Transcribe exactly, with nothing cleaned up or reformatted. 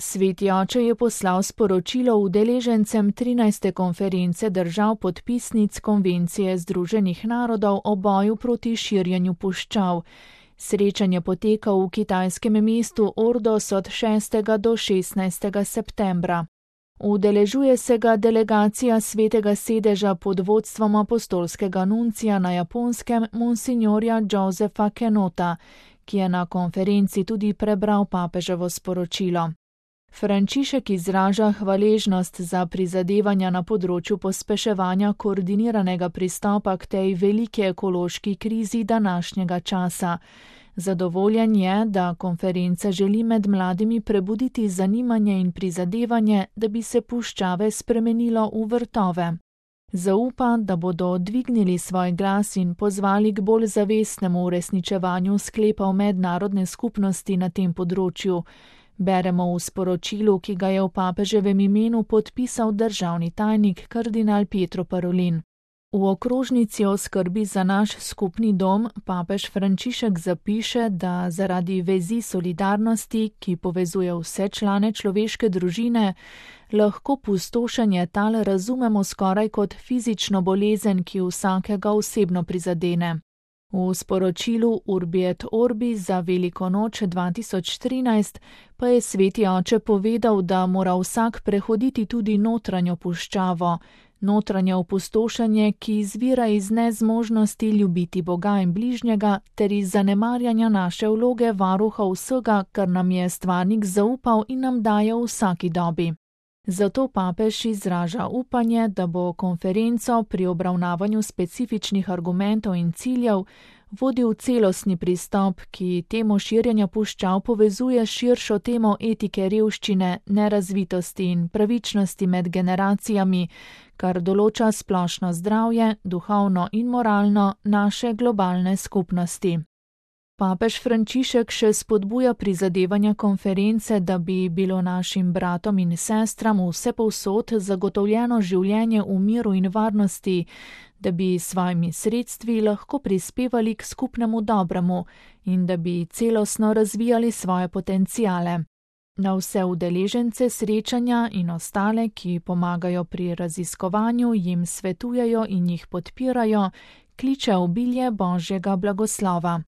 Sveti oče je poslal sporočilo udeležencem trinajste konference držav podpisnic Konvencije Združenih narodov o boju proti širjenju puščav. Srečanje poteka v kitajskem mestu Ordos od šestega do šestnajstega septembra. Udeležuje se ga delegacija Svetega sedeža pod vodstvom apostolskega nuncija na Japonskem monsignorja Josefa Kenota, ki je na konferenci tudi prebral papeževo sporočilo. Frančišek izraža hvaležnost za prizadevanja na področju pospeševanja koordiniranega pristopa k tej veliki ekološki krizi današnjega časa. Zadovoljen je, da konferenca želi med mladimi prebuditi zanimanje in prizadevanje, da bi se puščave spremenilo v vrtove. Zaupa, da bodo dvignili svoj glas in pozvali k bolj zavestnemu uresničevanju sklepov mednarodne skupnosti na tem področju. Beremo v sporočilu, ki ga je v papeževem imenu podpisal državni tajnik kardinal Pietro Parolin. V okrožnici o skrbi za naš skupni dom papež Frančišek zapiše, da zaradi vezi solidarnosti, ki povezuje vse člane človeške družine, lahko pustošenje tal razumemo skoraj kot fizično bolezen, ki vsakega osebno prizadene. V sporočilu Urbi et Orbi za Veliko noč dva tisoč trinajst pa je sveti oče povedal, da mora vsak prehoditi tudi notranjo puščavo, notranje opustošenje, ki izvira iz nezmožnosti ljubiti Boga in bližnjega ter iz zanemarjanja naše vloge varuha vsega, kar nam je stvarnik zaupal in nam daje v vsaki dobi. Zato papež izraža upanje, da bo konferenco pri obravnavanju specifičnih argumentov in ciljev vodil celostni pristop, ki temo širjenja puščav povezuje s širšo temo etike revščine, nerazvitosti in pravičnosti med generacijami, kar določa splošno zdravje, duhovno in moralno naše globalne skupnosti. Papež Frančišek še spodbuja prizadevanja konference, da bi bilo našim bratom in sestram vsepovsod zagotovljeno življenje v miru in varnosti, da bi s svojimi sredstvi lahko prispevali k skupnemu dobremu in da bi celostno razvijali svoje potenciale. Na vse udeležence srečanja in ostale, ki pomagajo pri raziskovanju, jim svetujejo in jih podpirajo, kliče obilje Božjega blagoslova.